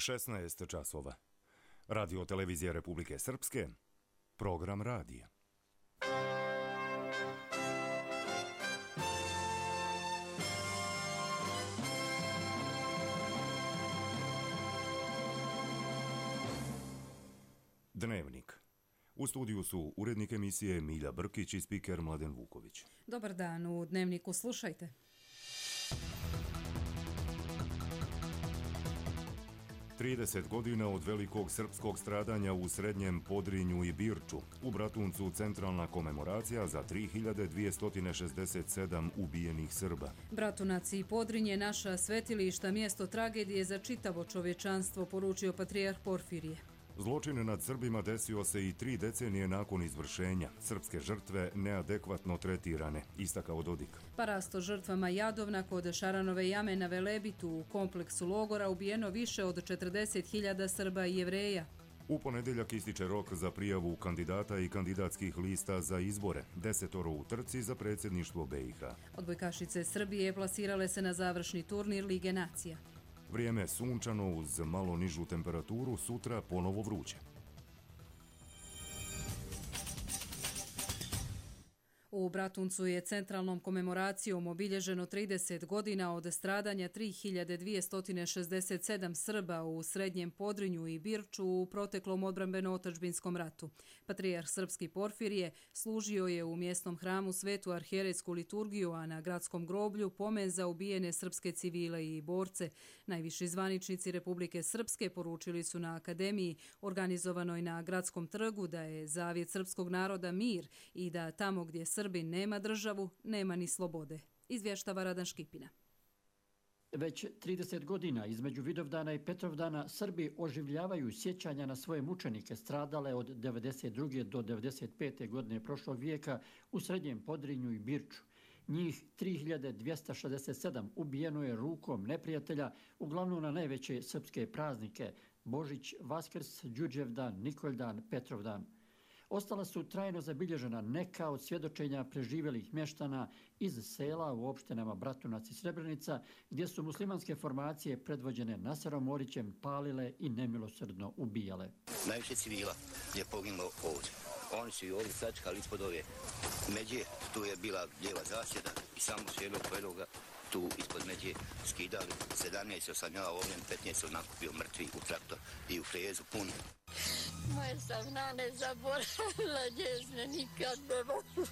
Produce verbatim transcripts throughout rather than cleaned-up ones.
šesnaest časova. Radio televizija Republike Srpske, program radija. Dnevnik. U studiju su urednik emisije Milja Brkić i spiker Mladen Vuković. Dobar dan, u Dnevniku slušajte. trideset godina od velikog srpskog stradanja u Srednjem Podrinju i Birču. U Bratuncu centralna komemoracija za tri hiljade dvjesto šezdeset sedam ubijenih Srba. Bratunac i Podrinje naša svetilišta, mjesto tragedije za čitavo čovječanstvo, poručio patrijarh Porfirije. Zločin nad Srbima desio se i tri decenije nakon izvršenja. Srpske žrtve neadekvatno tretirane, istakao Dodik. Parasto žrtvama Jadovna kod Šaranove jame na Velebitu u kompleksu logora ubijeno više od četrdeset hiljada Srba i Jevreja. U ponedjeljak ističe rok za prijavu kandidata i kandidatskih lista za izbore. Desetoro u trci za predsjedništvo B i H. Odbojkašice Srbije plasirale se na završni turnir Lige nacija. Vrijeme sunčano uz malo nižu temperaturu, sutra ponovo vruće. U Bratuncu je centralnom komemoracijom obilježeno trideset godina od stradanja tri hiljade dvjesto šezdeset sedam Srba u Srednjem Podrinju i Birču u proteklom odbrambeno-otadžbinskom ratu. Patrijarh srpski Porfirije služio je u mjesnom hramu Svetu arhijerejsku liturgiju, a na gradskom groblju pomen za ubijene srpske civile i borce. Najviši zvaničnici Republike Srpske poručili su na akademiji organizovanoj na gradskom trgu da je zavjet srpskog naroda mir i da tamo gdje Srbin nema državu, nema ni slobode. Izvještava Radan Škipina. Već trideset godina između Vidovdana i Petrovdana Srbi oživljavaju sjećanja na svoje mučenike stradale od devedeset druge do devedeset pete godine prošlog vijeka u Srednjem Podrinju i Birču. Njih tri hiljade dvjesto šezdeset sedam ubijeno je rukom neprijatelja, uglavnom na najveće srpske praznike Božić, Vaskrs, Đurđevdan, Nikoljdan, Petrovdan. Ostala su trajno zabilježena neka od svjedočenja preživjelih mještana iz sela u opštinama Bratunac i Srebrenica, gdje su muslimanske formacije predvođene Naserom Orićem palile i nemilosrdno ubijale. Najviše civila je poginulo ovdje. Oni su i ovdje sačkali ispod ove međe, tu je bila lijeva zasjeda i samo su jednog pojedoga tu ispod međe skidali. sedamnaest sam ja ovdje, petnaest sam nakupio mrtvi u traktor i u frezu pun. Moje sam nane zaboravila, njezne nikad ne mogu.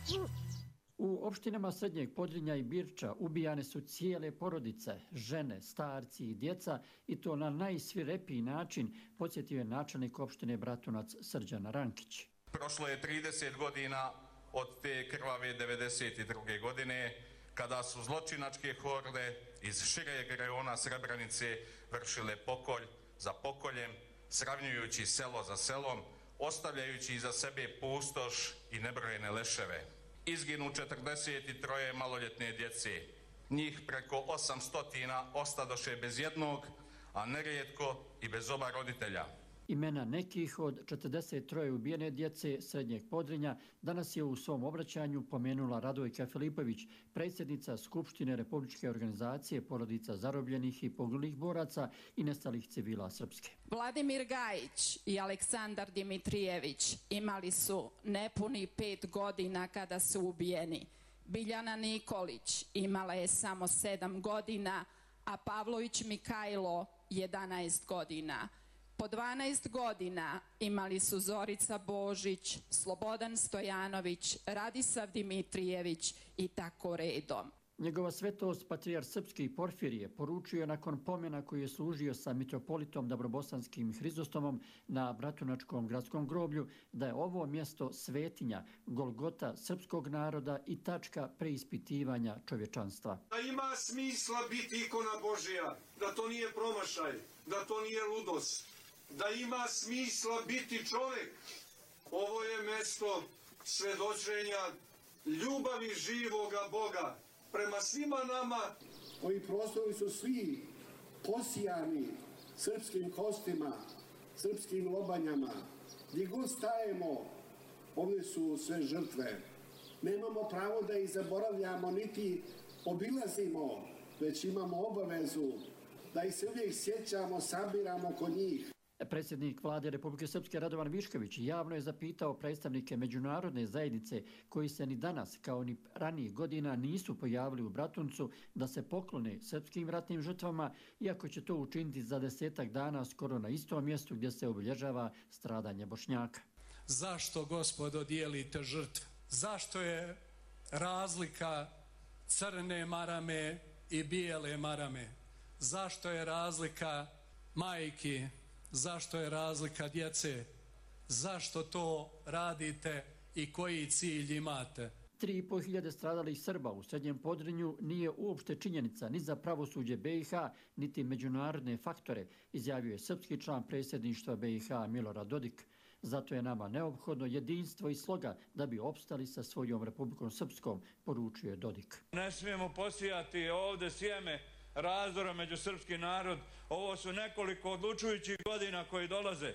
U opštinama Srednjeg Podrinja i Birča ubijane su cijele porodice, žene, starci i djeca, i to na najsvirepiji način, podsjetio je načelnik opštine Bratunac Srđan Rankić. Prošlo je trideset godina od te krvave devedeset druge godine, kada su zločinačke horde iz šireg rejona Srebrenice vršile pokolj za pokoljem, sravnjujući selo za selom, ostavljajući iza sebe pustoš i nebrojene leševe. Izginu četrdeset tri maloljetne djece. Njih preko osamsto ostadoše bez jednog, a nerijetko i bez oba roditelja. Imena nekih od četrdeset tri ubijene djece Srednjeg Podrinja danas je u svom obraćanju pomenula Radojka Filipović, predsjednica Skupštine Republičke organizacije porodica zarobljenih i poginulih boraca i nestalih civila Srpske. Vladimir Gajić i Aleksandar Dimitrijević imali su nepuni pet godina kada su ubijeni. Biljana Nikolić imala je samo sedam godina, a Pavlović Mikajlo jedanaest godina. Po dvanaest godina imali su Zorica Božić, Slobodan Stojanović, Radisav Dimitrijević i tako redom. Njegova svetost patrijarh srpski Porfirije poručio nakon pomena koji je služio sa mitropolitom Dabrobosanskim Hrizostomom na Bratunačkom gradskom groblju da je ovo mjesto svetinja, golgota srpskog naroda i tačka preispitivanja čovječanstva. Da ima smisla biti ikona Božja, da to nije promašaj, da to nije ludost, da ima smisla biti čovjek. Ovo je mjesto svedočenja ljubavi živoga Boga prema svima nama. Ovi prostori su svi posijani srpskim kostima, srpskim lobanjama. Gdje god stajemo, ovdje su sve žrtve. Nemamo pravo da ih zaboravljamo, niti obilazimo, već imamo obavezu da ih se uvijek sjećamo, sabiramo kod njih. Predsjednik vlade Republike Srpske Radovan Višković javno je zapitao predstavnike međunarodne zajednice koji se ni danas kao ni ranijih godina nisu pojavili u Bratuncu da se poklone srpskim ratnim žrtvama, iako će to učiniti za desetak dana skoro na istom mjestu gdje se obilježava stradanje Bošnjaka. Zašto, gospodo, dijelite žrtve? Zašto je razlika crne marame i bijele marame? Zašto je razlika majki? Zašto je razlika djece? Zašto to radite i koji cilj imate? Tri i pol hiljade stradalih Srba u Srednjem Podrinju nije uopšte činjenica ni za pravosuđe B i H, niti međunarodne faktore, izjavio je srpski član predsjedništva B i H Milorad Dodik. Zato je nama neophodno jedinstvo i sloga da bi opstali sa svojom Republikom Srpskom, poručio je Dodik. Ne smijemo posijati ovdje sjeme razdora među srpski narod. Ovo su nekoliko odlučujućih godina koji dolaze.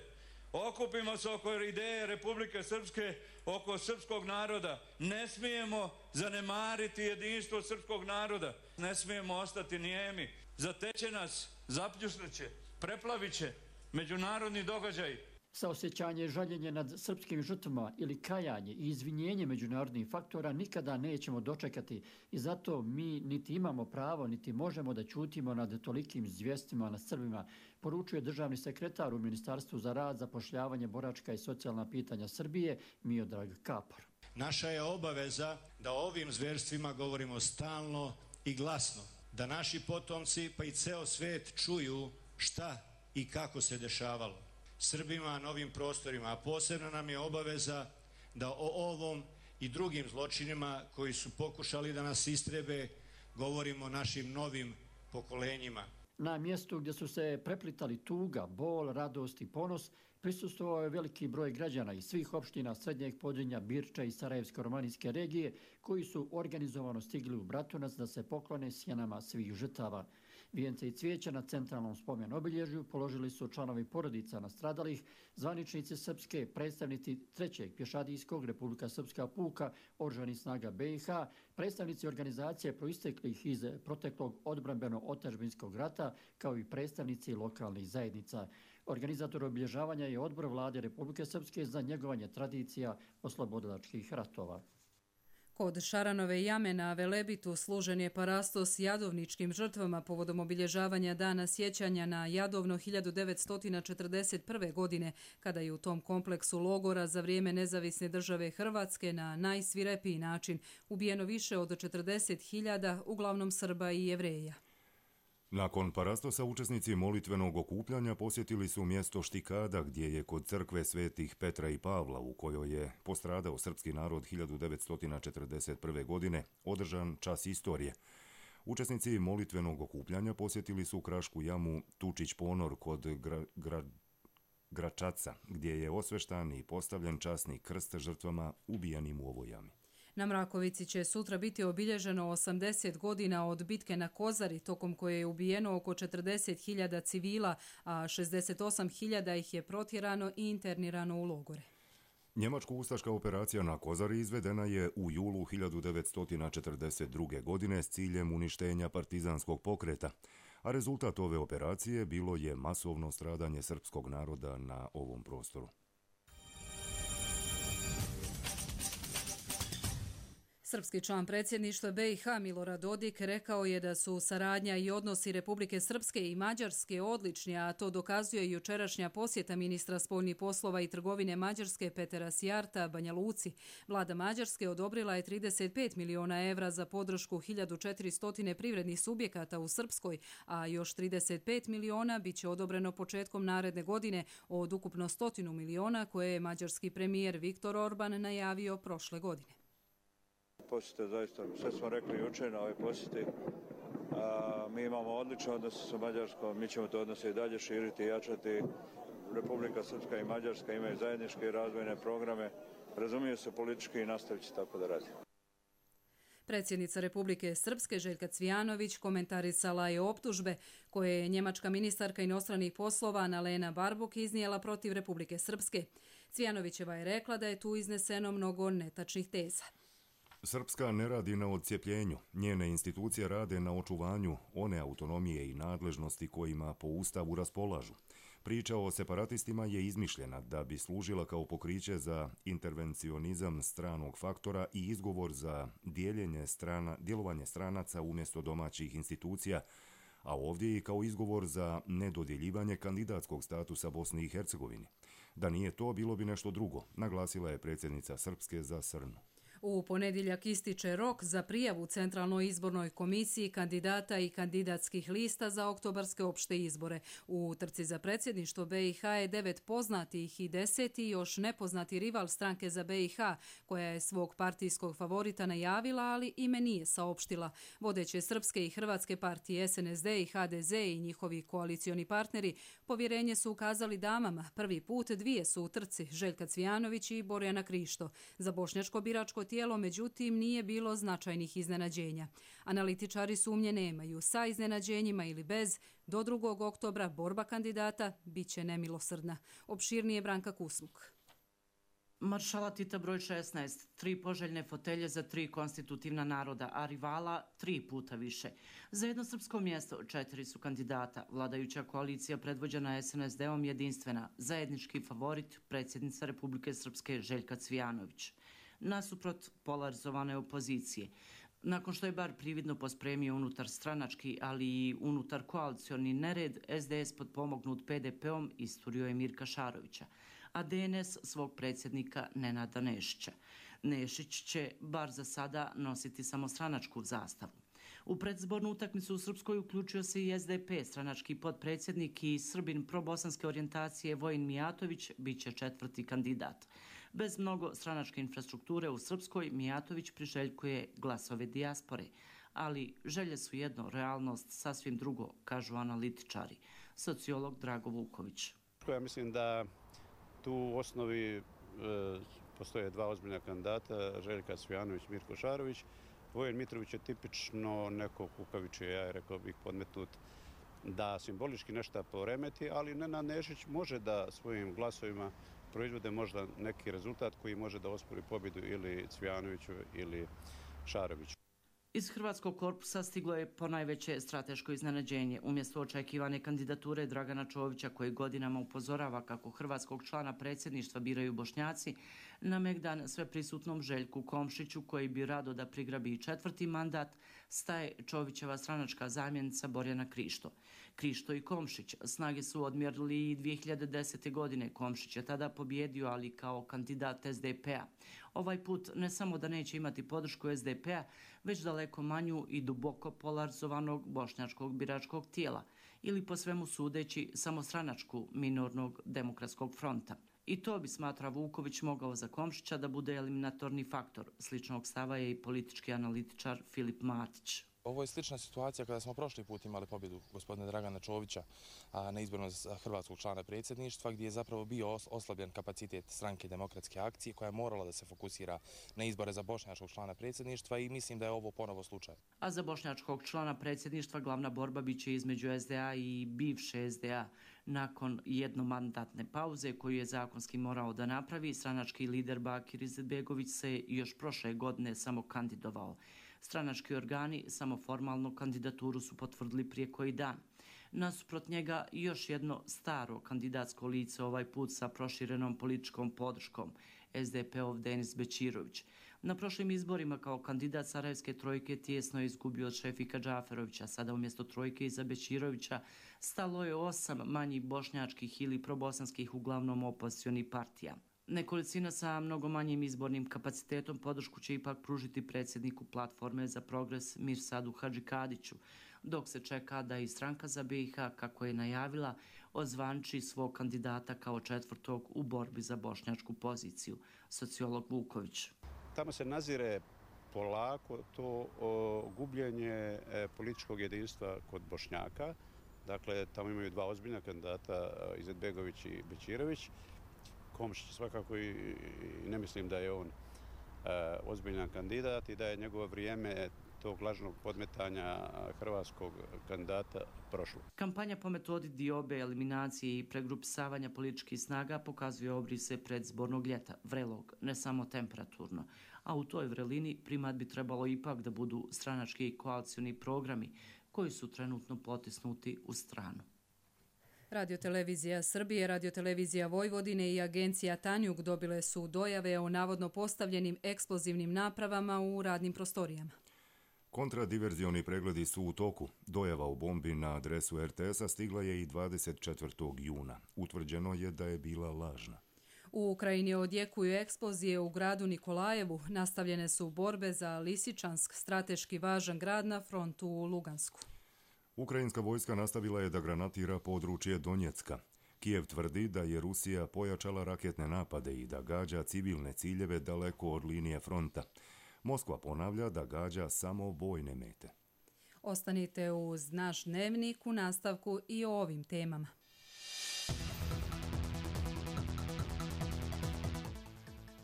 Okupimo se oko ideje Republike Srpske, oko srpskog naroda. Ne smijemo zanemariti jedinstvo srpskog naroda. Ne smijemo ostati nijemi. Zateće nas, zapljusnuće, preplavit će međunarodni događaj. Saosjećanje i žaljenje nad srpskim žrtvama ili kajanje i izvinjenje međunarodnih faktora nikada nećemo dočekati i zato mi niti imamo pravo, niti možemo da ćutimo nad tolikim zvjestima nad Srbima, poručuje državni sekretar u Ministarstvu za rad, zapošljavanje, boračka i socijalna pitanja Srbije Miodrag Kapor. Naša je obaveza da o ovim zverstvima govorimo stalno i glasno, da naši potomci pa i ceo svet čuju šta i kako se dešavalo Srbima na ovim prostorima, a posebno nam je obaveza da o ovom i drugim zločinima koji su pokušali da nas istrebe govorimo našim novim pokolenjima. Na mjestu gdje su se preplitali tuga, bol, radost i ponos prisustvovao je veliki broj građana iz svih opština Srednjeg Podrinja, Birča i Sarajevsko-romanijske regije koji su organizovano stigli u Bratunac da se poklone sjenama svih žrtava. Vijence i cvijeća na centralnom spomen obilježju položili su članovi porodica nastradalih, zvaničnici Srpske, predstavnici trećeg pješadijskog Republika Srpska puka, oružanih snaga B i H, predstavnici organizacije proisteklih iz proteklog odbrambeno-otadžbinskog rata, kao i predstavnici lokalnih zajednica. Organizator obilježavanja je Odbor vlade Republike Srpske za njegovanje tradicija oslobodilačkih ratova. Kod Šaranove jame na Velebitu služen je parastos jadovničkim žrtvama povodom obilježavanja dana sjećanja na Jadovno hiljadu devetsto četrdeset prve. godine, kada je u tom kompleksu logora za vrijeme nezavisne države Hrvatske na najsvirepiji način ubijeno više od četrdeset hiljada, uglavnom Srba i Jevreja. Nakon parastosa učesnici molitvenog okupljanja posjetili su mjesto Štikada gdje je kod crkve svetih Petra i Pavla, u kojoj je postradao srpski narod hiljadu devetsto četrdeset prve. godine, održan čas istorije. Učesnici molitvenog okupljanja posjetili su krašku jamu Tučić Ponor kod gra, gra, Gračaca, gdje je osveštan i postavljen časni krst žrtvama ubijenim u ovoj jami. Na Mrakovici će sutra biti obilježeno osamdeset godina od bitke na Kozari, tokom koje je ubijeno oko četrdeset hiljada civila, a šezdeset osam hiljada ih je protjerano i internirano u logore. Njemačko-ustaška operacija na Kozari izvedena je u julu hiljadu devetsto četrdeset druge. godine s ciljem uništenja partizanskog pokreta, a rezultat ove operacije bilo je masovno stradanje srpskog naroda na ovom prostoru. Srpski član predsjedništva B i H Milorad Dodik rekao je da su saradnja i odnosi Republike Srpske i Mađarske odlični, a to dokazuje i jučerašnja posjeta ministra spoljnih poslova i trgovine Mađarske Petera Sijarta Banja Luci. Vlada Mađarske odobrila je trideset pet miliona evra za podršku hiljadu četiristo privrednih subjekata u Srpskoj, a još trideset pet miliona bit će odobreno početkom naredne godine od ukupno stotinu miliona koje je mađarski premijer Viktor Orban najavio prošle godine. Posjete, zaista, sve smo rekli jučer na ove posjeti. A, mi imamo odlične odnose sa Mađarskom, mi ćemo to odnose i dalje širiti i jačati. Republika Srpska i Mađarska imaju zajedničke razvojne programe, razumiju se politički i nastavit će tako da radi. Predsjednica Republike Srpske Željka Cvijanović komentarisala je optužbe koje je njemačka ministarka inostranih poslova Annalena Baerbock iznijela protiv Republike Srpske. Cvijanovićeva je rekla da je tu izneseno mnogo netačnih teza. Srpska ne radi na odcijepljenju. Njene institucije rade na očuvanju one autonomije i nadležnosti kojima po Ustavu raspolažu. Priča o separatistima je izmišljena da bi služila kao pokriće za intervencionizam stranog faktora i izgovor za dijeljenje strana, djelovanje stranaca umjesto domaćih institucija, a ovdje i kao izgovor za nedodjeljivanje kandidatskog statusa Bosni i Hercegovini. Da nije to, bilo bi nešto drugo, naglasila je predsjednica Srpske za Srnu. U ponedjeljak ističe rok za prijavu Centralnoj izbornoj komisiji kandidata i kandidatskih lista za oktobarske opšte izbore. U trci za predsjedništvo B i H je devet poznatih i deseti još nepoznati rival stranke za B i H, koja je svog partijskog favorita najavila, ali ime nije saopštila. Vodeće srpske i hrvatske partije S N S D i H D Z i njihovi koalicioni partneri povjerenje su ukazali damama. Prvi put dvije su u trci, Željka Cvijanović i Borjana Krišto. Za bošnjačko biračko tijelo, međutim, nije bilo značajnih iznenađenja. Analitičari sumnje nemaju. Sa iznenađenjima ili bez, do drugog oktobra borba kandidata bit će nemilosrdna. Opširnije Branka Kusmuk. Maršala Tita broj šesnaest, tri poželjne fotelje za tri konstitutivna naroda, a rivala tri puta više. Za jedno srpsko mjesto četiri su kandidata. Vladajuća koalicija predvođena S N S D-om jedinstvena, zajednički favorit predsjednica Republike Srpske Željka Cvijanović. Nasuprot polarizovane opozicije. Nakon što je bar prividno pospremio unutar stranački, ali i unutar koalicioni nered, S D S potpomognut P D P-om isturio je Mirka Šarovića, a D N S svog predsjednika Nenada Nešića. Nešić će, bar za sada, nositi samo stranačku zastavu. U predzbornu utakmicu u Srpskoj uključio se i S D P, stranački potpredsjednik i Srbin probosanske orijentacije Vojin Mijatović bit će četvrti kandidat. Bez mnogo stranačke infrastrukture u Srpskoj, Mijatović priželjkuje glasove dijaspore, ali želje su jedno, realnost sasvim drugo, kažu analitičari. Sociolog Drago Vuković. Ja mislim da tu u osnovi e, postoje dva ozbiljna kandidata, Željka Cvijanović, Mirko Šarović. Vojen Mitrović je tipično neko kukavičije, ja je rekao bih podmetnut da simbolički nešto poremeti, ali Nenad Nešić može da svojim glasovima proizvode možda neki rezultat koji može da ospori pobjedu ili Cvijanoviću ili Šaroviću. Iz hrvatskog korpusa stiglo je ponajveće strateško iznenađenje. Umjesto očekivane kandidature Dragana Čovića, koji godinama upozorava kako hrvatskog člana predsjedništva biraju Bošnjaci, na megdan sveprisutnom Željku Komšiću, koji bi rado da prigrabi i četvrti mandat, staje Čovićeva stranačka zamjenica Borjana Krišto. Krišto i Komšić snage su odmjerili i dvije hiljade desete. godine. Komšić je tada pobjedio, ali kao kandidat S D P-a. Ovaj put ne samo da neće imati podršku S D P-a, već daleko manju i duboko polarizovanog bošnjačkog biračkog tijela, ili po svemu sudeći samostranačku minornog demokratskog fronta. I to bi, smatra Vuković, mogao za Komšića da bude eliminatorni faktor. Sličnog stava je i politički analitičar Filip Matić. Ovo je slična situacija kada smo prošli put imali pobjedu gospodina Dragana Čovića na izboru za hrvatskog člana predsjedništva, gdje je zapravo bio oslabljen kapacitet stranke Demokratske akcije koja je morala da se fokusira na izbore za bošnjačkog člana predsjedništva i mislim da je ovo ponovo slučaj. A za bošnjačkog člana predsjedništva glavna borba biće između S D A i bivše S D A. Nakon jednomandatne pauze koju je zakonski morao da napravi, stranački lider Bakir Izetbegović se još prošle godine samo kandidovao. Stranački organi samo formalnu kandidaturu su potvrdili prije koji dan. Nasuprot njega još jedno staro kandidatsko lice, ovaj put sa proširenom političkom podrškom, S D P-ov Denis Bećirović. Na prošlim izborima kao kandidat Sarajevske trojke tijesno je izgubio od Šefika Džaferovića. Sada umjesto trojke iza Bećirovića stalo je osam manjih bošnjačkih ili probosanskih, uglavnom opozicionih partija. Nekolicina sa mnogo manjim izbornim kapacitetom podršku će ipak pružiti predsjedniku Platforme za progres Mirsadu Hadžikadiću, dok se čeka da i stranka za B i H, kako je najavila, ozvanči svog kandidata kao četvrtog u borbi za bošnjačku poziciju. Sociolog Vuković. Tamo se nazire polako to o, gubljenje e, političkog jedinstva kod Bošnjaka. Dakle, tamo imaju dva ozbiljna kandidata, Izetbegović i Bećirović. Komšić svakako i, i ne mislim da je on e, ozbiljan kandidat i da je njegovo vrijeme tog lažnog podmetanja hrvatskog kandidata prošlo. Kampanja po metodi diobe, eliminacije i pregrupisavanja političkih snaga pokazuje obrise predzbornog ljeta, vrelog, ne samo temperaturno, a u toj vrelini primat bi trebalo ipak da budu stranački i koalicioni programi koji su trenutno potisnuti u stranu. Radiotelevizija Srbije, Radiotelevizija Vojvodine i agencija Tanjug dobile su dojave o navodno postavljenim eksplozivnim napravama u radnim prostorijama. Kontradiverzioni pregledi su u toku. Dojava o bombi na adresu er te esa stigla je i dvadeset četvrtog juna. Utvrđeno je da je bila lažna. U Ukrajini odjekuju eksplozije u gradu Nikolajevu. Nastavljene su borbe za Lisičansk, strateški važan grad na frontu u Lugansku. Ukrajinska vojska nastavila je da granatira područje Donjecka. Kijev tvrdi da je Rusija pojačala raketne napade i da gađa civilne ciljeve daleko od linije fronta. Moskva ponavlja da gađa samo vojne mete. Ostanite uz naš dnevnik u nastavku i o ovim temama.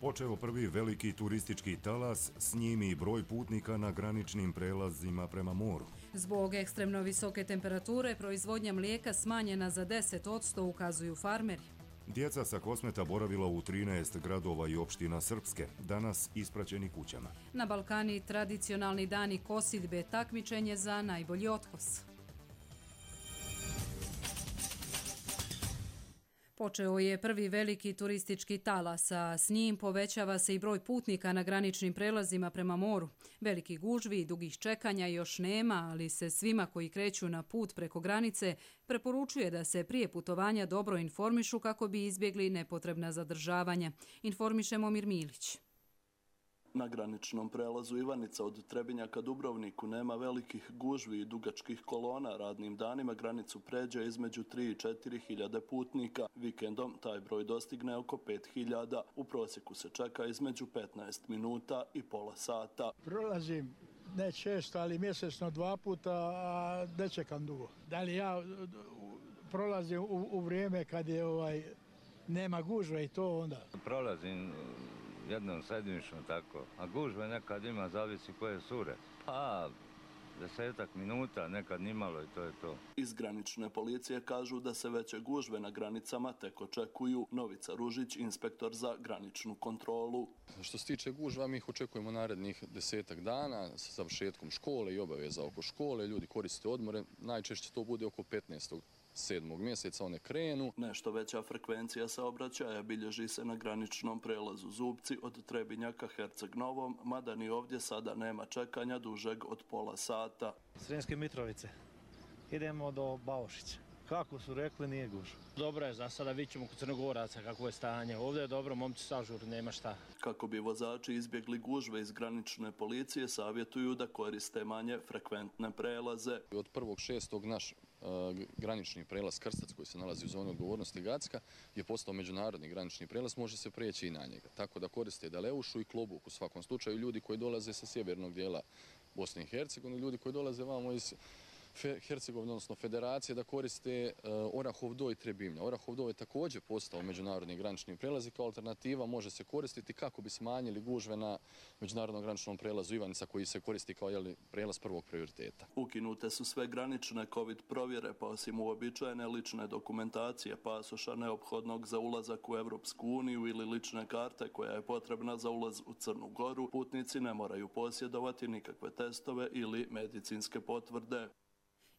Počeo prvi veliki turistički talas, s njim i broj putnika na graničnim prelazima prema moru. Zbog ekstremno visoke temperature, proizvodnja mlijeka smanjena za deset posto, ukazuju farmeri. Djeca sa Kosmeta boravila u trinaest gradova i opština Srpske, danas ispraćeni kućama. Na Balkani tradicionalni dani kosidbe, takmičenje za najbolji otkos. Počeo je prvi veliki turistički talas, a s njim povećava se i broj putnika na graničnim prelazima prema moru. Veliki gužvi i dugih čekanja još nema, ali se svima koji kreću na put preko granice preporučuje da se prije putovanja dobro informišu kako bi izbjegli nepotrebna zadržavanja. Informiše Momir Milić. Na graničnom prelazu Ivanica od Trebinja ka Dubrovniku nema velikih gužvi i dugačkih kolona. Radnim danima granicu pređe između tri i četiri hiljade putnika. Vikendom taj broj dostigne oko pet hiljada. U prosjeku se čeka između petnaest minuta i pola sata. Prolazim ne često, ali mjesečno dva puta, a ne čekam dugo. Da li ja prolazim u, u vrijeme kad je ovaj nema gužve i to onda? Prolazim jednom sedmično tako, a gužve nekad ima, zavisi koje sure. Pa, desetak minuta, nekad nimalo i to je to. Iz granične policije kažu da se veće gužve na granicama tek očekuju. Novica Ružić, inspektor za graničnu kontrolu. Što se tiče gužva, mi ih očekujemo narednih desetak dana sa završetkom škole i obaveza oko škole. Ljudi koriste odmore, najčešće to bude oko petnaestog sedmog mjeseca one krenu. Nešto veća frekvencija saobraćaja bilježi se na graničnom prelazu Zubci od Trebinja ka Herceg Novom, mada ni ovdje sada nema čekanja dužeg od pola sata. Sremske Mitrovice. Idemo do Baušića. Kako su rekli, nije gužva. Dobro je, za sada vidjet ćemo kod Crnogoraca kako je stanje. Ovdje je dobro, momci sažur, nema šta. Kako bi vozači izbjegli gužve iz granične policije, savjetuju da koriste manje frekventne prelaze. Od prvog šestog naš uh, granični prelaz Krstac, koji se nalazi u zoni odgovornosti Gacka, je postao međunarodni granični prelaz, može se prijeći i na njega. Tako da koriste Daleušu i Klobuk u svakom slučaju, ljudi koji dolaze sa sjevernog dijela Bosne i Hercegovine, ljudi koji dolaze vamo iz Hercegovine, odnosno Federacije, da koriste uh, Orahov do i Trebinja. Orahov do je također postao međunarodni granični prelaz i kao alternativa može se koristiti kako bi smanjili gužve na međunarodnom graničnom prelazu Ivanica, koji se koristi kao jeli, prelaz prvog prioriteta. Ukinute su sve granične COVID provjere, pa osim uobičajene lične dokumentacije, pasoša neophodnog za ulazak u Evropsku uniju ili lične karte koja je potrebna za ulaz u Crnu Goru, putnici ne moraju posjedovati nikakve testove ili medicinske potvrde.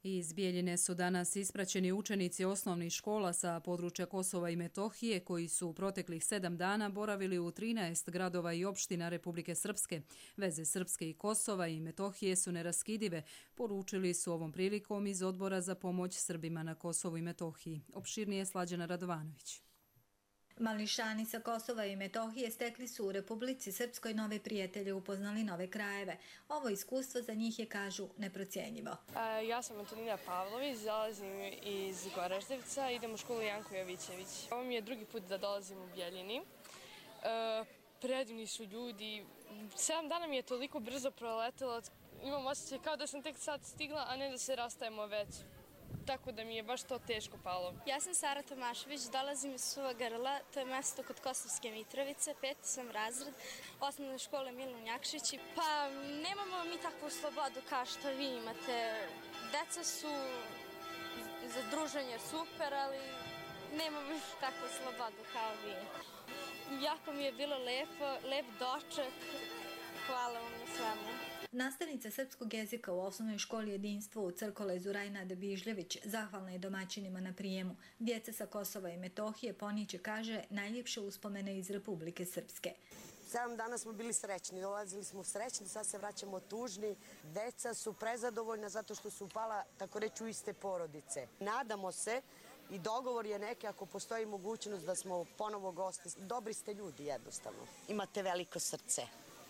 Iz Bijeljine su danas ispraćeni učenici osnovnih škola sa područja Kosova i Metohije koji su u proteklih sedam dana boravili u trinaest gradova i opština Republike Srpske. Veze Srpske i Kosova i Metohije su neraskidive, poručili su ovom prilikom iz Odbora za pomoć Srbima na Kosovu i Metohiji. Opširnije Slađana Radovanović. Mališani sa Kosova i Metohije stekli su u Republici Srpskoj nove prijatelje, upoznali nove krajeve. Ovo iskustvo za njih je, kažu, neprocjenjivo. E, ja sam Antonina Pavlović, dolazim iz Goraždevca, idem u školu Janko Jovićević. Ovo mi je drugi put da dolazim u Bijeljini. E, predivni su ljudi. Sedam dana mi je toliko brzo proletelo, imam osjećaj kao da sam tek sad stigla, a ne da se rastajemo već. Tako da mi je baš to teško palo. Ja sam Sara Tomašević, dolazim iz Suva Grla, to je mjesto kod Kosovske Mitrovice, peti sam razred osnovne škole Milun Jakšić. Pa nemamo mi takvu slobodu kao što vi imate. Deca su za druženje super, ali nemamo mi takvu slobodu kao vi. Jako mi je bilo lepo, lep doček, hvala vam na svemu. Nastavnica srpskog jezika u osnovnoj školi Jedinstvo u Crkolezu Rajnada Bižljević zahvalna je domaćinima na prijemu. Djeca sa Kosova i Metohije poniče, kaže, najljepše uspomene iz Republike Srpske. Sedam dana smo bili srećni, dolazili smo srećni, sad se vraćamo tužni. Deca su prezadovoljna zato što su upala, tako reći, u iste porodice. Nadamo se i dogovor je neki, ako postoji mogućnost da smo ponovo gosti. Dobri ste ljudi, jednostavno. Imate veliko srce,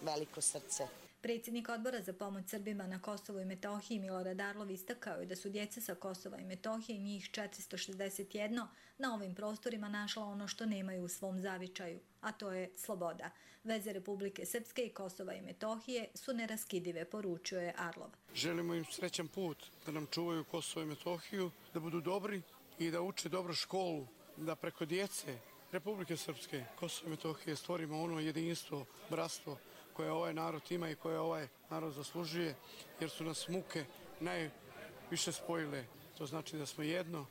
veliko srce. Predsjednik odbora za pomoć Srbima na Kosovu i Metohiji Milorad Arlov istakao je da su djeca sa Kosova i Metohije, njih četiristo šezdeset jedan, na ovim prostorima našla ono što nemaju u svom zavičaju, a to je sloboda. Veze Republike Srpske i Kosova i Metohije su neraskidive, poručio je Arlov. Želimo im srećan put, da nam čuvaju Kosovo i Metohiju, da budu dobri i da uče dobro školu, da preko djece Republike Srpske, Kosovo i Metohije stvorimo ono jedinstvo, bratstvo koje ovaj narod ima i koje ovaj narod zaslužuje, jer su nas muke najviše spojile. To znači da smo jedno,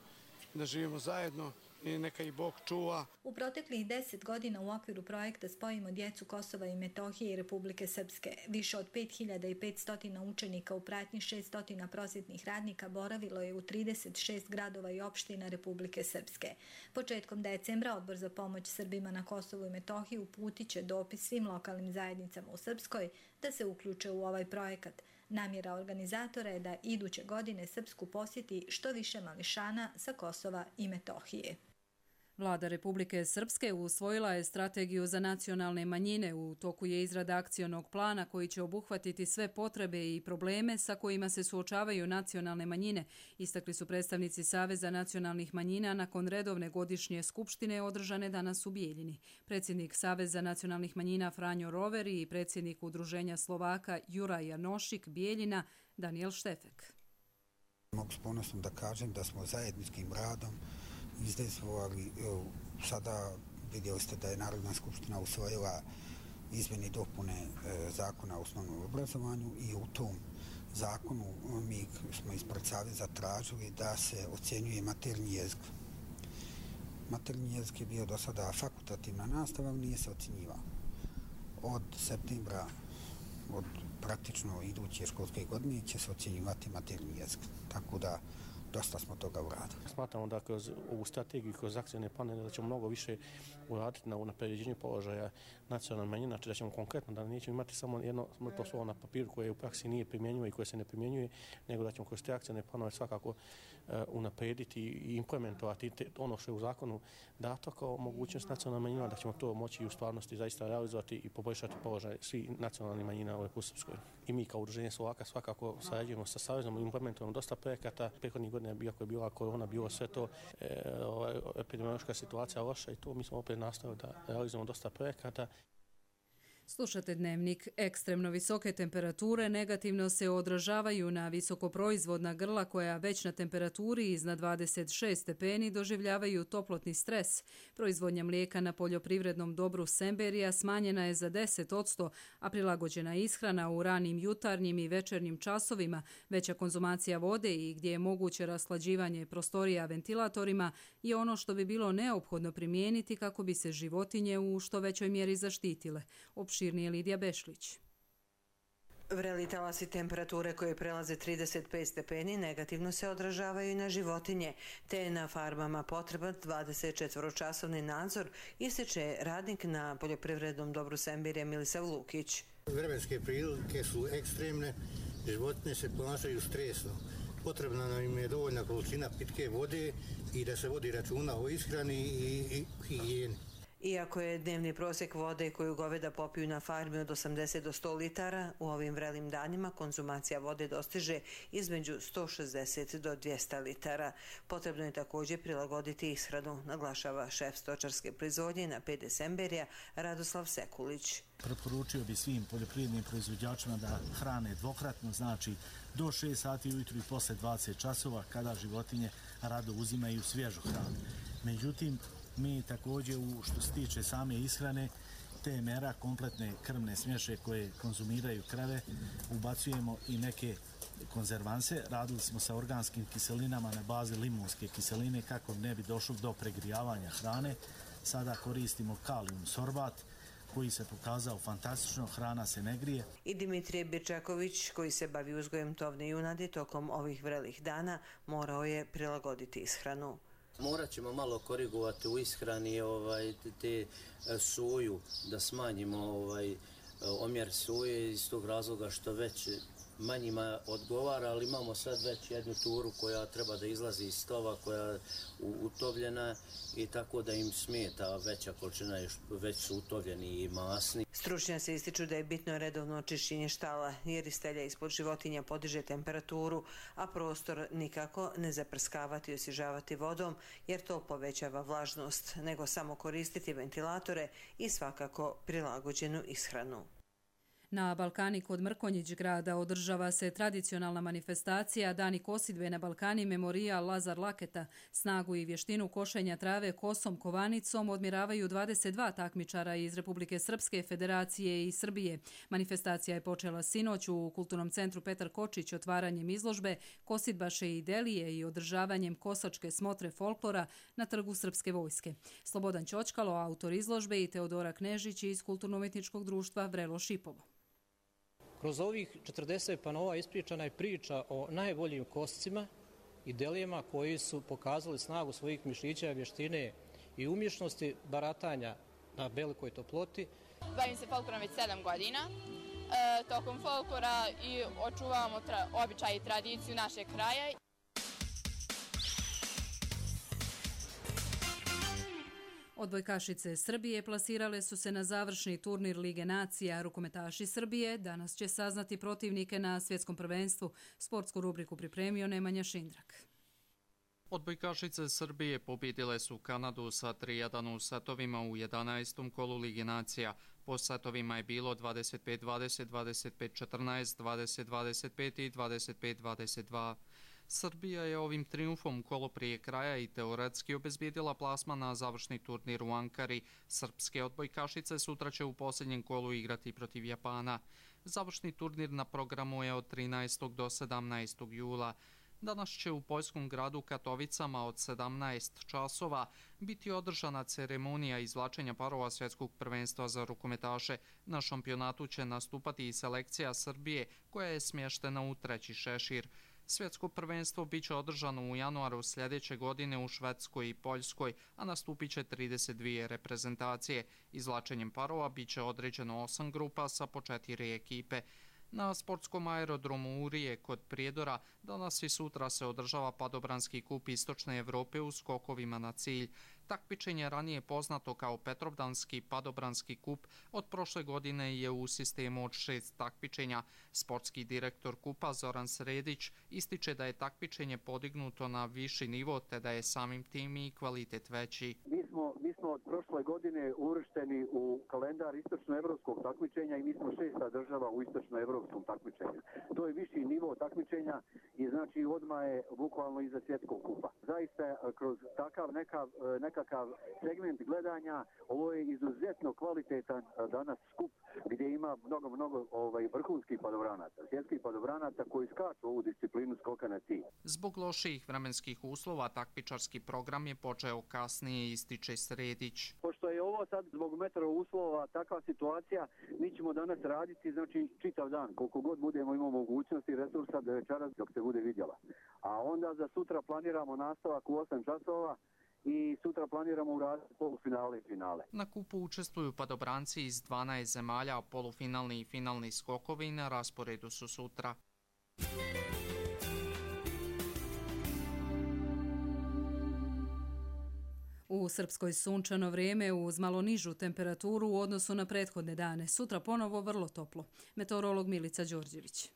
da živimo zajedno i neka ih Bog čuva. U proteklih deset godina u okviru projekta Spojimo djecu Kosova i Metohije i Republike Srpske više od pet hiljada petsto učenika u pratnji šesto prosvjetnih radnika boravilo je u trideset šest gradova i opština Republike Srpske. Početkom decembra Odbor za pomoć Srbima na Kosovu i Metohiji uputit će dopis svim lokalnim zajednicama u Srpskoj da se uključe u ovaj projekat. Namjera organizatora je da iduće godine Srpsku posjeti što više mališana sa Kosova i Metohije. Vlada Republike Srpske usvojila je strategiju za nacionalne manjine. U toku je izrada akcionog plana koji će obuhvatiti sve potrebe i probleme sa kojima se suočavaju nacionalne manjine, istakli su predstavnici Saveza nacionalnih manjina nakon redovne godišnje skupštine održane danas u Bijeljini. Predsjednik Saveza nacionalnih manjina Franjo Roveri i predsjednik Udruženja Slovaka Juraj Janošik Bijeljina Daniel Štefek. Mogu s ponosom da kažem da smo zajedničkim radom izdejstvovali, sada vidjeli ste da je Narodna skupština usvojila izmjene i dopune zakona o osnovnom obrazovanju i u tom zakonu mi smo ispred Saveza tražili da se ocjenjuje maternji jezik. Maternji jezik je bio do sada fakultativna nastava, ali nije se ocjenjivao. Od septembra, od praktično iduće školske godine će se ocjenjivati maternji jezik. Tako da dosta smo toga uradili. Smatramo da kroz ovu strategiju, kroz akcijne planove, da ćemo mnogo više uraditi na unapređenju položaja nacionalne manjine, znači da ćemo konkretno, da nećemo imati samo jedno mrtvo slovo na papiru koje u praksi nije primjenjivo i koje se ne primjenjuje, nego da ćemo kroz te akcijne planove svakako uh, unaprediti i implementovati te, ono što je u zakonu dato kao mogućnost nacionalne manjina, da ćemo to moći u stvarnosti zaista realizovati i poboljšati položaj svih nacionalnih manjina u Republici Srpskoj. I mi kao Udruženje Slovaka svakako sarađujemo sa Savezom i implementujemo dosta projekata. Prethodnih godina, iako je bila korona, bilo sve to, e, ovaj, epidemiološka situacija loša i to mi smo opet nastavili da realizujemo dosta projekata. Slušate Dnevnik. Ekstremno visoke temperature negativno se odražavaju na visokoproizvodna grla koja već na temperaturi iznad dvadeset šest stepeni doživljavaju toplotni stres. Proizvodnja mlijeka na poljoprivrednom dobru Semberija smanjena je za deset posto, a prilagođena ishrana u ranim jutarnjim i večernjim časovima, veća konzumacija vode i gdje je moguće rashlađivanje prostorija ventilatorima je ono što bi bilo neophodno primijeniti kako bi se životinje u što većoj mjeri zaštitile. Opširnije Lidija Bešlić. Vreli talasi temperature koje prelaze trideset pet stepeni negativno se odražavaju i na životinje, te je na farmama potreban dvadesetčetvoročasovni nadzor, ističe radnik na poljoprivrednom dobru Sembirja Milisav Lukić. Vremenske prilike su ekstremne, životinje se ponašaju stresno. Potrebna nam je dovoljna količina pitke vode i da se vodi računa o ishrani i higijeni. Iako je dnevni prosjek vode koju goveda popiju na farmi od osamdeset do sto litara, u ovim vrelim danima konzumacija vode dostiže između sto šezdeset do dvjesto litara. Potrebno je također prilagoditi ishranu, naglašava šef stočarske proizvodnje na P D Semberija Radoslav Sekulić. Preporučio bi svim poljoprivrednim proizvođačima da hrane dvokratno, znači do šest sati ujutru i posle dvadeset časova kada životinje rado uzimaju svježu hranu. Međutim, mi također, u što se tiče same ishrane, te mera kompletne krvne smješe koje konzumiraju krave, ubacujemo i neke konzervanse. Radili smo sa organskim kiselinama na bazi limunske kiseline kako ne bi došlo do pregrijavanja hrane. Sada koristimo kalijum sorbat koji se pokazao fantastično, hrana se ne grije. I Dimitrije Birčaković, koji se bavi uzgojem tovne junadi tokom ovih vrelih dana, morao je prilagoditi ishranu. Morat ćemo malo korigovati u ishrani ovaj, te soju, da smanjimo ovaj, omjer soje iz tog razloga što već manjima odgovara, ali imamo sad već jednu turu koja treba da izlazi iz stova, koja je utovljena i tako da im smeta veća količina, već su utovljeni i masni. Stručnjaci ističu da je bitno redovno očišćenje štala, jer istelja ispod životinja podiže temperaturu, a prostor nikako ne zaprskavati i osvježavati vodom, jer to povećava vlažnost, nego samo koristiti ventilatore i svakako prilagođenu ishranu. Na Balkani kod Mrkonjić grada održava se tradicionalna manifestacija Dani kosidbe na Balkani Memorijal Lazar Laketa. Snagu i vještinu košenja trave kosom kovanicom odmjeravaju dvadeset dva takmičara iz Republike Srpske, Federacije i Srbije. Manifestacija je počela sinoć u Kulturnom centru Petar Kočić otvaranjem izložbe Kosidbaše i Delije i održavanjem kosačke smotre folklora na trgu Srpske vojske. Slobodan Ćočkalo, autor izložbe, i Teodora Knežić iz Kulturno-umjetničkog društva Vrelo Šipovo. Kroz ovih četrdeset panova ispričana je priča o najboljim koscima i delijama koji su pokazali snagu svojih mišića, vještine i umješnosti baratanja na velikoj toploti. Bavim se folklorom već sedam godina. E, tokom folklora i očuvamo običaj i tradiciju našeg kraja. Odbojkašice Srbije plasirale su se na završni turnir Lige nacija. Rukometaši Srbije danas će saznati protivnike na svjetskom prvenstvu. Sportsku rubriku pripremio Nemanja Šindrak. Odbojkašice Srbije pobjedile su Kanadu sa tri jedan u setovima u jedanaestom kolu Lige nacija. Po setovima je bilo dvadeset pet dvadeset, dvadeset pet četrnaest, dvadeset dvadeset pet i dvadeset pet dvadeset dva. Srbija je ovim triumfom kolo prije kraja i teoretski obezbijedila plasman na završni turnir u Ankari. Srpske odbojkašice sutra će u posljednjem kolu igrati protiv Japana. Završni turnir na programu je od trinaestog do sedamnaestog jula. Danas će u poljskom gradu Katovicama od sedamnaest časova biti održana ceremonija izvlačenja parova svjetskog prvenstva za rukometaše. Na šampionatu će nastupati i selekcija Srbije koja je smještena u treći šešir. Svjetsko prvenstvo biće održano u januaru sljedeće godine u Švedskoj i Poljskoj, a nastupit će trideset dvije reprezentacije. Izvlačenjem parova biće određeno osam grupa sa po četiri ekipe. Na sportskom aerodromu Urije kod Prijedora danas i sutra se održava Padobranski kup Istočne Evrope u skokovima na cilj. Takmičenje ranije poznato kao Petrovdanski Padobranski kup od prošle godine je u sistemu od šest takmičenja. Sportski direktor kupa Zoran Sredić ističe da je takmičenje podignuto na viši nivo te da je samim tim i kvalitet veći. Mi smo, mi smo od prošle godine uvršteni u kalendar istočnoevropskog takmičenja i mi smo šesta država u istočnoevropskom takmičenju. To je viši nivo takmičenja i znači odmah je bukvalno iza svjetskog kupa. Zaista kroz takav nekav, nekakav segment gledanja ovo je izuzetno kvalitetan danas skup gdje ima mnogo, mnogo ovaj, vrhunskih padobranaca, svjetskih padobranaca koji skaču ovu disciplinu skoka na cilj. Zbog loših vremenskih uslova takmičarski program je počeo kasnije, ističe Sredić. Pošto je ovo sad zbog meteo uslova takva situacija, mi ćemo danas raditi znači čitav dan, koliko god budemo imamo mogućnosti i resursa do večeras dok se bude vidjela. A onda za sutra planiramo nastavak u osam časova i sutra planiramo uraditi polufinale i finale. Na kupu učestvuju padobranci iz dvanaest zemalja, a polufinalni i finalni skokovi na rasporedu su sutra. U Srpskoj sunčano vrijeme uz malo nižu temperaturu u odnosu na prethodne dane. Sutra ponovo vrlo toplo. Meteorolog Milica Đorđević.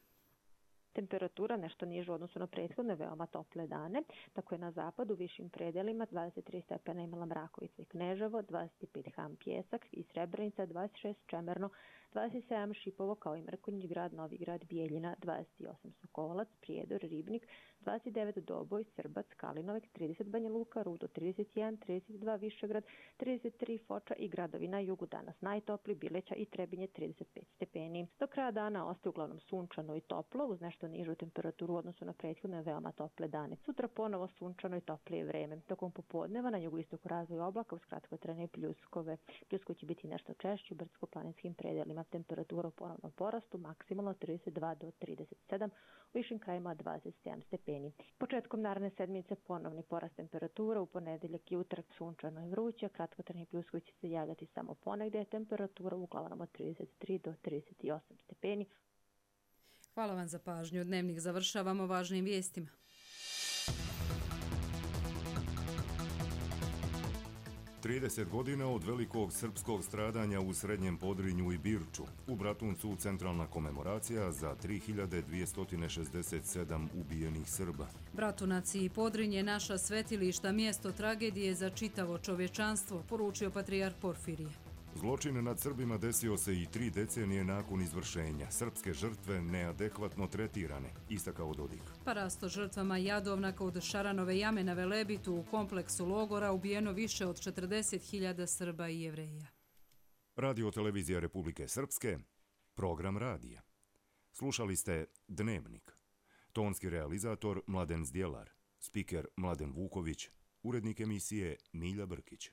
Temperatura nešto nižu u odnosu na prethodne veoma tople dane. Tako je na zapadu višim predelima dvadeset tri stepena imala Mrakovica i Kneževo, dvadeset pet Ham Pjesak i Srebrenica, dvadeset šest Čemerno, dvadeset sedam Šipovo kao i Mrkonjić grad, Novi grad, Bijeljina, dvadeset osam Sokolac, Prijedor, Ribnik, dvadeset devet Doboj, Srbac, Kalinovek, trideset Banja Luka, Rudo trideset jedan, trideset dva Višegrad, trideset tri Foča i gradovi na jugu danas najtopli, Bileća i Trebinje trideset pet stepeni. Do kraja dana ostaje uglavnom sunčano i toplo, uz nešto nižu temperaturu u odnosu na prethodne veoma tople dane. Sutra ponovo sunčano i toplije vreme. Tokom popodneva na jugoistoku razvoj oblaka uz kratkotrajne pljuskove. Pljuskovi će biti nešto češći u brdsko-planinskim predelima. Temperatura u ponovnom porastu maksimalno trideset dva do trideset sedam, u višim krajima dvadeset sedam stepeni. Početkom naredne sedmice ponovni porast temperatura, u ponedeljak i utorak sunčano i vruće, kratkotrajni pljuskovi će se javljati samo ponegde, temperatura uglavnom od trideset tri do trideset osam stepeni. Hvala vam za pažnju. Dnevnik završavamo važnim vijestima. trideset godina od velikog srpskog stradanja u Srednjem Podrinju i Birču. U Bratuncu centralna komemoracija za tri hiljade dvjesto šezdeset sedam ubijenih Srba. Bratunac i Podrinje naša svetilišta, mjesto tragedije za čitavo čovječanstvo, poručio patrijarh Porfirije. Zločin nad Srbima desio se i tri decenije nakon izvršenja. Srpske žrtve neadekvatno tretirane, istakao Dodik. Parasto žrtvama Jadovnaka od Šaranove jame na Velebitu u kompleksu logora ubijeno više od četrdeset hiljada Srba i Jevreja. Radio televizija Republike Srpske, program radija. Slušali ste Dnevnik. Tonski realizator Mladen Zdjelar, spiker Mladen Vuković, urednik emisije Milja Brkić.